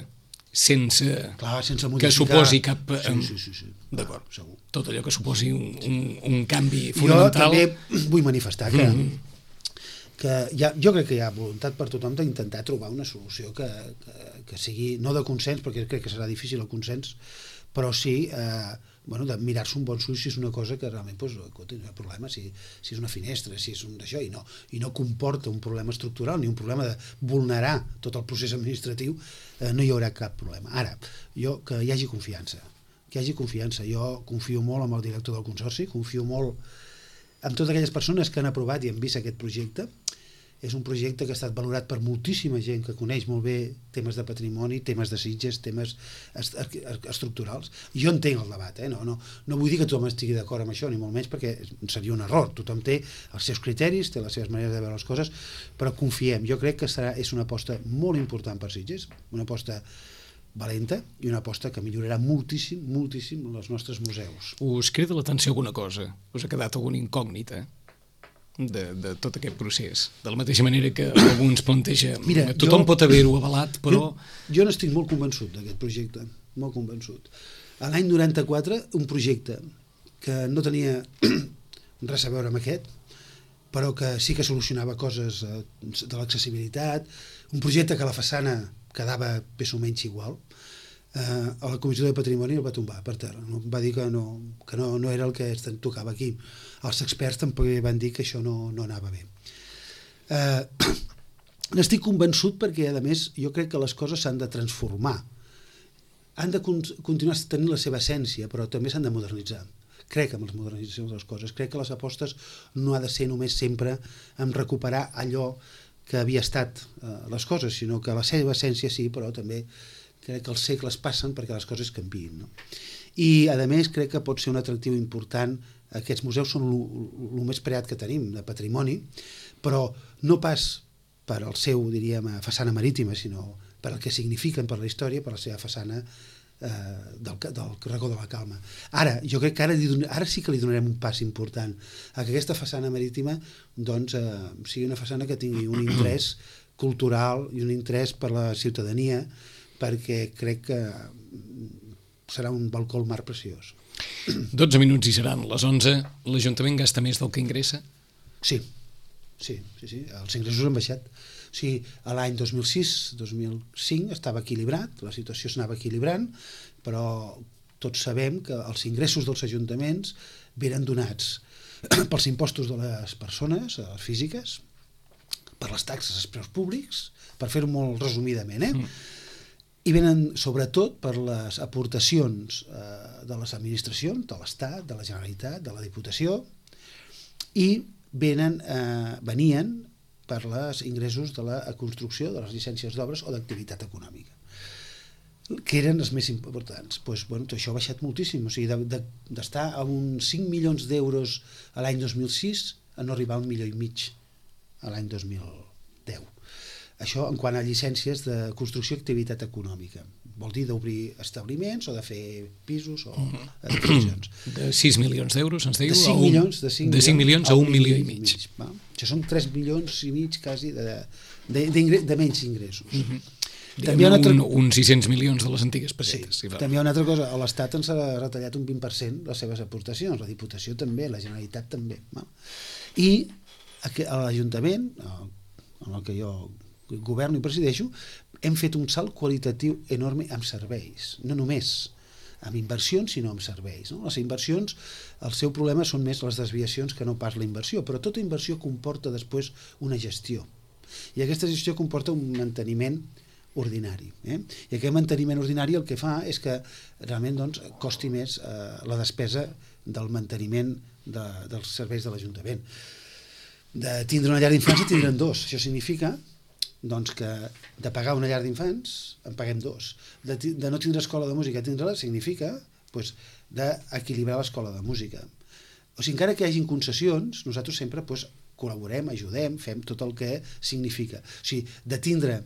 S2: sense,
S3: Clar, sense
S2: que suposi cap...
S3: Sí, sí, sí, sí.
S2: D'acord.
S3: Segur.
S2: Tot allò que suposi un, un, un canvi fonamental.
S3: Jo també vull manifestar que,
S2: Mm-hmm.
S3: que hi ha, jo crec que hi ha voluntat per tothom d'intentar trobar una solució que, que, que sigui, no de consens, perquè crec que serà difícil el consens, però sí eh, bueno, de mirar-se un bon ull si és una cosa que realment pues, escolta, no hi ha problema, si, si és una finestra, si és un d'això, i no, i no comporta un problema estructural ni un problema de vulnerar tot el procés administratiu, eh, no hi haurà cap problema. Ara, jo que hi hagi confiança, que hi hagi confiança. Jo confio molt en el director del Consorci, confio molt en totes aquelles persones que han aprovat i han vist aquest projecte. És un projecte que ha estat valorat per moltíssima gent que coneix molt bé temes de patrimoni, temes de Sitges, temes est estructurals. Jo entenc el debat, eh? no, no, no vull dir que tothom estigui d'acord amb això, ni molt menys, perquè seria un error. Tothom té els seus criteris, té les seves maneres de veure les coses, però confiem. Jo crec que serà, és una aposta molt important per Sitges, una aposta valenta i una aposta que millorarà moltíssim, moltíssim els nostres museus.
S2: Us crida l'atenció alguna cosa? Us ha quedat alguna incògnita de, de tot aquest procés? De la mateixa manera que alguns planteja, Mira, tothom jo, pot haver-ho avalat, però...
S3: Jo, jo n'estic molt convençut d'aquest projecte, molt convençut. A l'any noranta-quatre, un projecte que no tenia res a veure amb aquest, però que sí que solucionava coses de l'accessibilitat, un projecte que la façana quedava més o menys igual, eh, a la Comissió de Patrimoni el va tombar per terra, no? Va dir que, no, que no, no era el que es tocava aquí. Els experts tampoc van dir que això no, no anava bé. Eh, N'estic convençut perquè, a més, jo crec que les coses s'han de transformar. Han de con continuar tenint la seva essència, però també s'han de modernitzar. Crec en les modernitzacions de les coses. Crec que les apostes no ha de ser només sempre en recuperar allò que havia estat eh, les coses, sinó que la seva essència sí, però també crec que els segles passen perquè les coses canviïn. No? I, a més, crec que pot ser un atractiu important. Aquests museus són el més preat que tenim de patrimoni, però no pas per el seu, diríem, façana marítima, sinó per el que signifiquen per la història, per la seva façana eh, del, del racó de la Calma. Ara, jo crec que ara, ara sí que li donarem un pas important a que aquesta façana marítima doncs, eh, sigui una façana que tingui un interès cultural i un interès per la ciutadania, perquè crec que serà un balcó al mar preciós.
S2: dotze minuts i seran les onze. L'Ajuntament gasta més del que ingressa?
S3: Sí, sí, sí, sí. Els ingressos han baixat. O sigui, a l'any dos mil sis dos mil cinc estava equilibrat, la situació s'anava equilibrant, però tots sabem que els ingressos dels ajuntaments venen donats pels impostos de les persones les físiques, per les taxes als preus públics, per fer-ho molt resumidament, eh? Mm. I venen sobretot per les aportacions eh, de les administracions, de l'Estat, de la Generalitat, de la Diputació, i venen, eh, venien per els ingressos de la construcció, de les llicències d'obres o d'activitat econòmica, que eren els més importants. Pues, bueno, això ha baixat moltíssim, o sigui, d'estar de, de, a uns cinc milions d'euros a l'any dos mil sis a no arribar a un milió i mig a l'any dos mil deu. Això en quant a llicències de construcció i activitat econòmica. Vol dir d'obrir establiments o de fer pisos o edificacions.
S2: De sis milions d'euros, ens diu?
S3: De cinc milions, de cinc
S2: de cinc milions a un milió i mig.
S3: mig va? Això són tres milions i mig quasi de, de, de, de menys ingressos. Uh -huh.
S2: També un, altra... un sis-cents milions de les antigues pessetes.
S3: Sí, si també hi ha una altra cosa. L'Estat ens ha retallat un vint per cent les seves aportacions, la Diputació també, la Generalitat també. Va? I a l'Ajuntament, en el que jo governo i presideixo, hem fet un salt qualitatiu enorme amb serveis, no només amb inversions, sinó amb serveis. No? Les inversions, el seu problema són més les desviacions que no pas la inversió, però tota inversió comporta després una gestió. I aquesta gestió comporta un manteniment ordinari. Eh? I aquest manteniment ordinari el que fa és que realment doncs, costi més eh, la despesa del manteniment de, dels serveis de l'Ajuntament. De tindre una llar d'infants i tindre'n dos. Això significa doncs, que de pagar una llar d'infants en paguem dos. De, de no tindre escola de música, tindre-la significa doncs, d'equilibrar l'escola de música. O sigui, encara que hi hagin concessions, nosaltres sempre doncs, col·laborem, ajudem, fem tot el que significa. O sigui, de tindre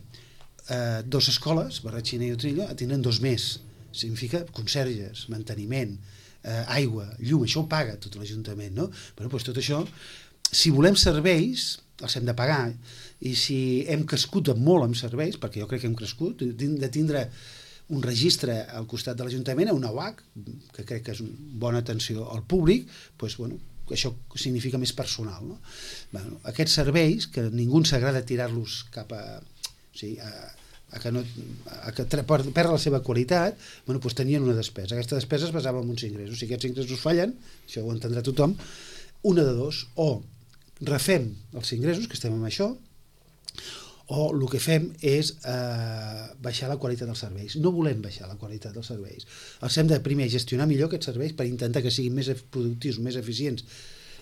S3: eh, dues escoles, Barratxina i Utrillo, a tindre'n dos més. Significa conserges, manteniment, eh, aigua, llum, això ho paga tot l'Ajuntament, no? Però doncs, tot això, si volem serveis, els hem de pagar, i si hem crescut molt amb serveis, perquè jo crec que hem crescut, de tindre un registre al costat de l'Ajuntament, una U A C, que crec que és una bona atenció al públic, doncs, bueno, això significa més personal. No? Bueno, aquests serveis, que ningú s'agrada tirar-los cap a, o sigui, a, a que, no, a que perd la seva qualitat, bueno, doncs tenien una despesa. Aquesta despesa es basava en uns ingressos. Si aquests ingressos fallen, això ho entendrà tothom, una de dos, o refem els ingressos, que estem amb això, o el que fem és eh, baixar la qualitat dels serveis. No volem baixar la qualitat dels serveis. Els hem de primer gestionar millor aquests serveis per intentar que siguin més productius, més eficients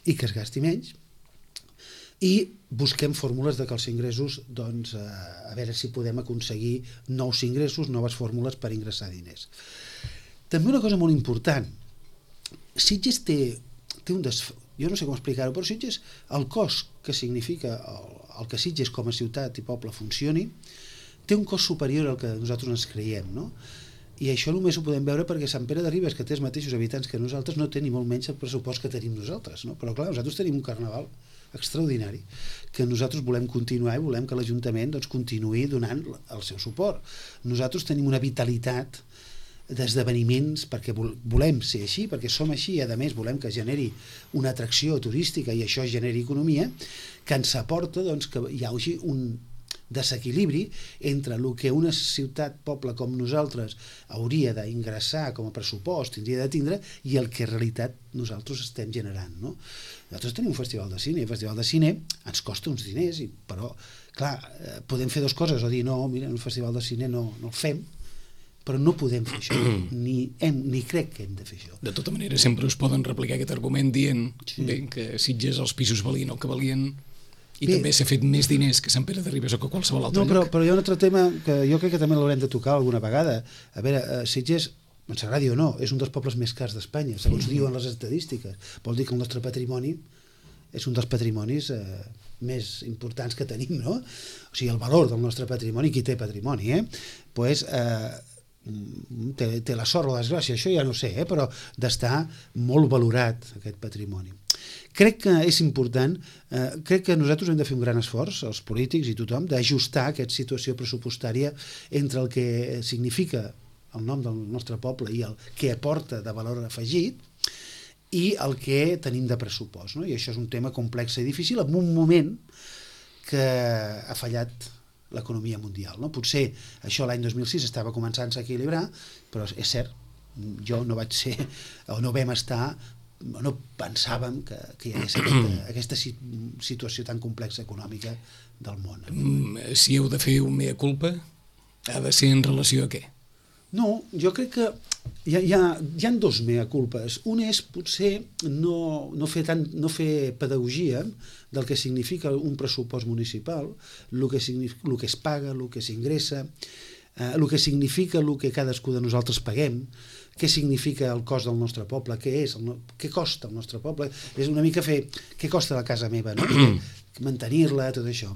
S3: i que es gasti menys, i busquem fórmules de que els ingressos, doncs, eh, a veure si podem aconseguir nous ingressos, noves fórmules per ingressar diners. També una cosa molt important, Sitges té, té un des... jo no sé com explicar-ho, però Sitges, el cost que significa el, el que Sitges com a ciutat i poble funcioni, té un cost superior al que nosaltres ens creiem, no? I això només ho podem veure perquè Sant Pere de Ribes, que té els mateixos habitants que nosaltres, no té ni molt menys el pressupost que tenim nosaltres, no? Però clar, nosaltres tenim un carnaval extraordinari que nosaltres volem continuar i volem que l'Ajuntament doncs, continuï donant el seu suport. Nosaltres tenim una vitalitat d'esdeveniments perquè volem ser així, perquè som així i a més volem que generi una atracció turística i això generi economia, que ens aporta doncs, que hi hagi un desequilibri entre el que una ciutat, poble com nosaltres hauria d'ingressar com a pressupost, tindria de tindre, i el que en realitat nosaltres estem generant. No? Nosaltres tenim un festival de cine, i el festival de cine ens costa uns diners, i, però clar, podem fer dues coses, o dir no, mira, el festival de cine no, no el fem, però no podem fer això, ni, hem, ni crec que hem de fer això.
S2: De tota manera, sempre us poden replicar aquest argument dient sí. bé, que Sitges els pisos valien el que valien i bé, també s'ha fet més diners que Sant Pere de Ribes o que qualsevol altre
S3: no, però,
S2: lloc.
S3: Però hi ha un altre tema que jo crec que també l'haurem de tocar alguna vegada. A veure, Sitges, ens agradi o no, és un dels pobles més cars d'Espanya, segons mm-hmm. diuen les estadístiques. Vol dir que el nostre patrimoni és un dels patrimonis eh, més importants que tenim, no? O sigui, el valor del nostre patrimoni, qui té patrimoni, eh? Pues, eh, té, té la sort o la desgràcia, això ja no sé, eh? Però d'estar molt valorat aquest patrimoni. crec que és important, eh, crec que nosaltres hem de fer un gran esforç, els polítics i tothom, d'ajustar aquesta situació pressupostària entre el que significa el nom del nostre poble i el que aporta de valor afegit i el que tenim de pressupost, no? I això és un tema complex i difícil en un moment que ha fallat l'economia mundial, no? Potser això l'any dos mil sis estava començant-se a equilibrar, però és cert, jo no vaig ser, o no vam estar, no pensàvem que, que hi hagués aquesta, aquesta situació tan complexa econòmica del món.
S2: Si heu de fer un mea culpa, ha de ser en relació a què?
S3: No, jo crec que hi ha, hi ha, hi ha dos mea culpes. Un és potser no, no, fer tant, no fer pedagogia del que significa un pressupost municipal, el que, el que es paga, el que s'ingressa, eh, el que significa el que cadascú de nosaltres paguem, què significa el cost del nostre poble, què és, el, què costa el nostre poble, és una mica fer què costa la casa meva, no? Mantenir-la, tot això.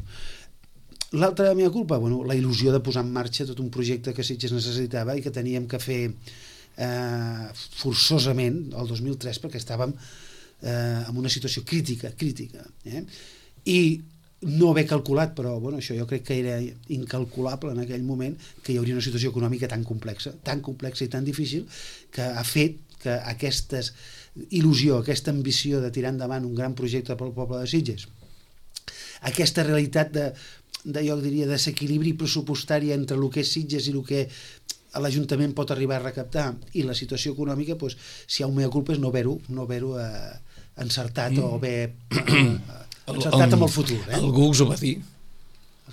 S3: L'altra meva culpa, bueno, la il·lusió de posar en marxa tot un projecte que Sitges necessitava i que teníem que fer eh, forçosament el dos mil tres perquè estàvem eh, en una situació crítica, crítica. Eh? I no haver calculat, però bueno, això jo crec que era incalculable en aquell moment, que hi hauria una situació econòmica tan complexa, tan complexa i tan difícil, que ha fet que aquesta il·lusió, aquesta ambició de tirar endavant un gran projecte pel poble de Sitges, aquesta realitat de, de jo diria, desequilibri pressupostari entre el que és Sitges i el que l'Ajuntament pot arribar a recaptar i la situació econòmica, doncs, si hi ha un mea culpa és no haver-ho no haver-ho eh, encertat mm. o haver eh, encertat amb el futur. Eh?
S2: Algú us ho va dir?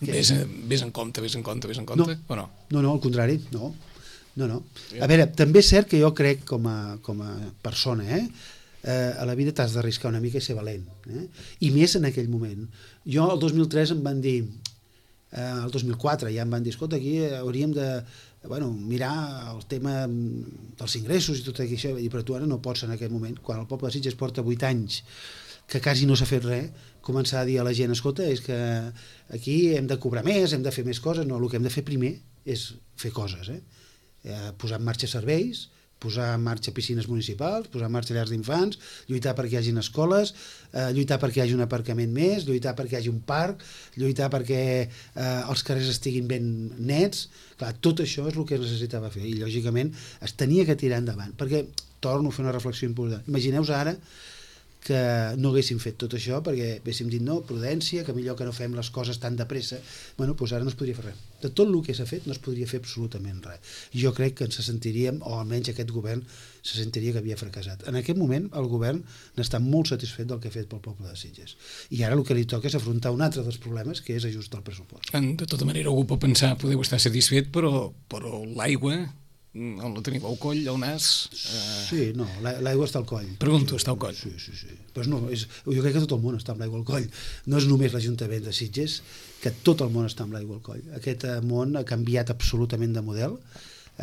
S2: Ves, ves en compte, ves en compte, ves en compte?
S3: No,
S2: o no?
S3: no, no, al contrari, no. no, no. A veure, també és cert que jo crec com a, com a persona, eh, eh, a la vida t'has d'arriscar una mica i ser valent. Eh? I més en aquell moment. Jo el dos mil tres em van dir, eh, el dos mil quatre ja em van dir, escolta, aquí hauríem de bueno, mirar el tema dels ingressos i tot això, i però tu ara no pots en aquest moment, quan el poble de Sitges porta vuit anys que quasi no s'ha fet res, començar a dir a la gent, escolta, és que aquí hem de cobrar més, hem de fer més coses, no, el que hem de fer primer és fer coses, eh? Eh, posar en marxa serveis, posar en marxa piscines municipals, posar en marxa llars d'infants, lluitar perquè hi hagin escoles, eh, lluitar perquè hi hagi un aparcament més, lluitar perquè hi hagi un parc, lluitar perquè eh, els carrers estiguin ben nets. Clar, tot això és el que es necessitava fer i lògicament es tenia que tirar endavant, perquè torno a fer una reflexió important. Imagineu-vos ara que no haguéssim fet tot això perquè haguéssim dit no, prudència, que millor que no fem les coses tan de pressa. Bueno, doncs ara no es podria fer res. De tot el que s'ha fet no es podria fer absolutament res. Jo crec que ens sentiríem, o almenys aquest govern se sentiria que havia fracassat. En aquest moment el govern n'està molt satisfet del que ha fet pel poble de Sitges. I ara el que li toca és afrontar un altre dels problemes, que és ajustar el pressupost.
S2: De tota manera, algú pot pensar, podeu estar satisfet, però, però l'aigua on la teniu al coll, al nas? Eh...
S3: Sí, no, l'aigua està al coll.
S2: Pregunto, està al coll?
S3: Sí, sí, sí. Però no, és, jo crec que tot el món està amb l'aigua al coll. No és només l'Ajuntament de Sitges, que tot el món està amb l'aigua al coll. Aquest món ha canviat absolutament de model,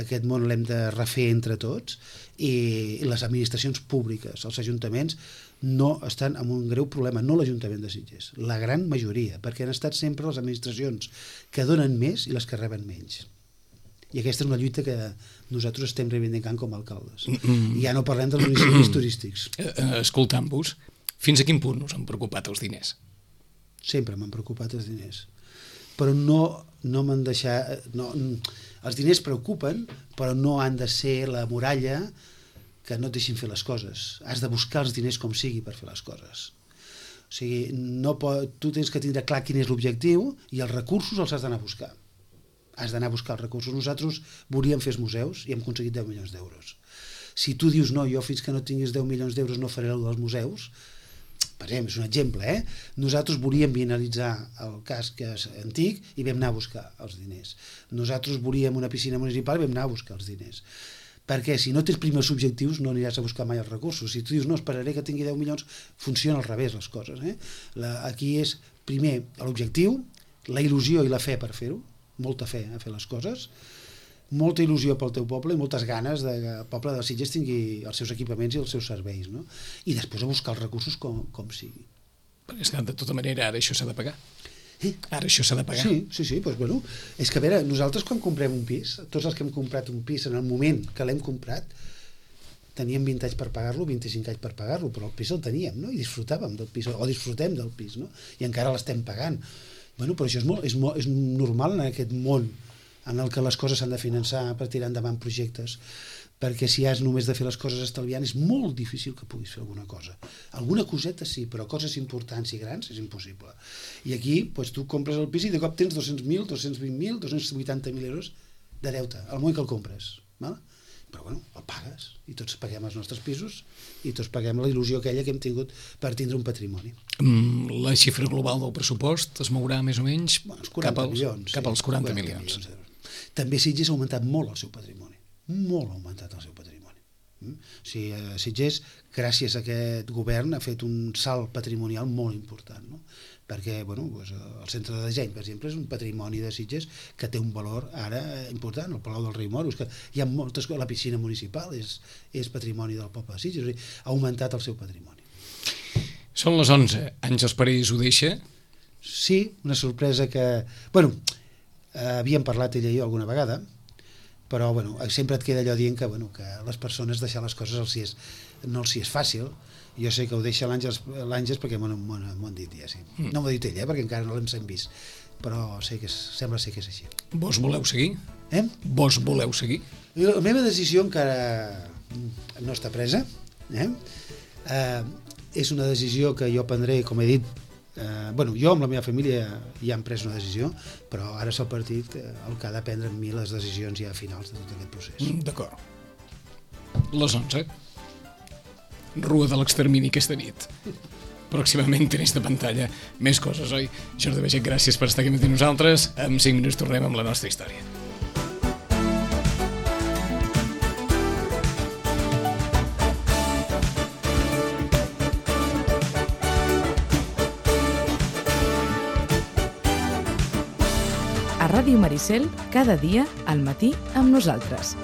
S3: aquest món l'hem de refer entre tots, i les administracions públiques, els ajuntaments, no estan en un greu problema, no l'Ajuntament de Sitges, la gran majoria, perquè han estat sempre les administracions que donen més i les que reben menys. I aquesta és una lluita que nosaltres estem reivindicant com a alcaldes. Mm-hmm. I ja no parlem dels municipis turístics.
S2: Escoltant-vos, fins a quin punt us han preocupat els diners?
S3: Sempre m'han preocupat els diners. Però no, no m'han deixat... No, els diners preocupen, però no han de ser la muralla que no et deixin fer les coses. Has de buscar els diners com sigui per fer les coses. O sigui, no pot, tu tens que tindre clar quin és l'objectiu i els recursos els has d'anar a buscar. Has d'anar a buscar els recursos. Nosaltres volíem fer els museus i hem aconseguit deu milions d'euros. Si tu dius no, jo fins que no tinguis deu milions d'euros no faré el dels museus, per exemple, és un exemple, eh? Nosaltres volíem finalitzar el casc antic i vam anar a buscar els diners. Nosaltres volíem una piscina municipal i vam anar a buscar els diners. Perquè si no tens primers objectius no aniràs a buscar mai els recursos. Si tu dius no, esperaré que tingui deu milions, funciona al revés les coses. Eh? La, aquí és primer l'objectiu, la il·lusió i la fe per fer-ho, molta fe a fer les coses, molta il·lusió pel teu poble i moltes ganes de que el poble de Sitges tingui els seus equipaments i els seus serveis, no? I després a buscar els recursos com, com sigui.
S2: Perquè és que de tota manera ara això s'ha de pagar. Eh? Ara això s'ha de pagar.
S3: Sí, sí, sí, doncs, bueno, és que a veure, nosaltres quan comprem un pis, tots els que hem comprat un pis en el moment que l'hem comprat, teníem vint anys per pagar-lo, vint-i-cinc anys per pagar-lo, però el pis el teníem, no? I disfrutàvem del pis, o disfrutem del pis, no? I encara l'estem pagant. Bueno, però això és, molt, és, molt, és normal en aquest món en el que les coses s'han de finançar per tirar endavant projectes, perquè si has només de fer les coses estalviant és molt difícil que puguis fer alguna cosa. Alguna coseta sí, però coses importants i grans és impossible. I aquí doncs, tu compres el pis i de cop tens dos-cents mil, dos-cents vint mil, dos-cents vuitanta mil euros de deute, al moment que el compres. Val? Però bueno, el pagues, i tots paguem els nostres pisos i tots paguem la il·lusió aquella que hem tingut per tindre un patrimoni.
S2: Mm, la xifra global del pressupost es mourà més o menys
S3: bueno, quaranta
S2: cap als,
S3: milions,
S2: cap als
S3: sí,
S2: quaranta,
S3: quaranta
S2: milions.
S3: milions. També Sitges ha augmentat molt el seu patrimoni, molt ha augmentat el seu patrimoni. Mm? O sigui, eh, Sitges, gràcies a aquest govern, ha fet un salt patrimonial molt important, no? Perquè bueno, doncs, el centre de disseny, per exemple, és un patrimoni de Sitges que té un valor ara important, el Palau del Rei Moros, que hi ha moltes coses, la piscina municipal és, és patrimoni del poble de Sitges, o sigui, ha augmentat el seu patrimoni.
S2: Són les onze, Àngels Parés ho deixa?
S3: Sí, una sorpresa que... Bueno, eh, havíem parlat ella i jo alguna vegada, però bueno, sempre et queda allò dient que, bueno, que les persones deixar les coses els si és, no els si és fàcil. Jo sé que ho deixa l'Àngels perquè m'ho han dit ja, sí. No m'ho ha dit ella, eh, perquè encara no l'hem sen vist, però sé que és, sembla ser que és així.
S2: Vos voleu seguir?
S3: Eh?
S2: Vos voleu seguir?
S3: La meva decisió encara no està presa. Eh? Eh, és una decisió que jo prendré, com he dit, eh, bueno, jo amb la meva família ja hem pres una decisió, però ara és el partit el que ha de prendre amb mi les decisions ja finals de tot aquest procés.
S2: D'acord. Les onze. Rua de l'extermini aquesta nit. Pròximament tenis de pantalla. Més coses, oi? Jordi Baiget, gràcies per estar aquí amb nosaltres. En cinc minuts tornem amb la nostra història.
S1: A Ràdio Maricel, cada dia, al matí, amb nosaltres.